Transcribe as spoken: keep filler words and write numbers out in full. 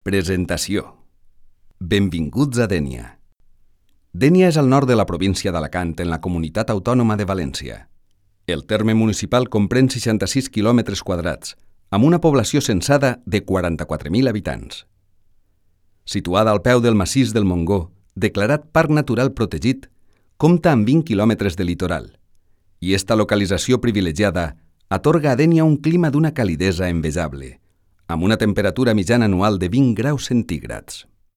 Presentació. Benvinguts a Dénia. Dénia és al nord de la província d'Alacant, en la Comunitat Autònoma de València. El terme municipal comprèn seixanta-sis quilòmetres quadrats, amb una població censada de quaranta-quatre mil habitants. Situada al peu del massís del Montgó, declarat Parc Natural Protegit, compta amb vint quilòmetres de litoral, i esta localització privilegiada atorga a Dénia un clima d'una calidesa envejable, amb una temperatura mitjana anual de vint graus centígrads.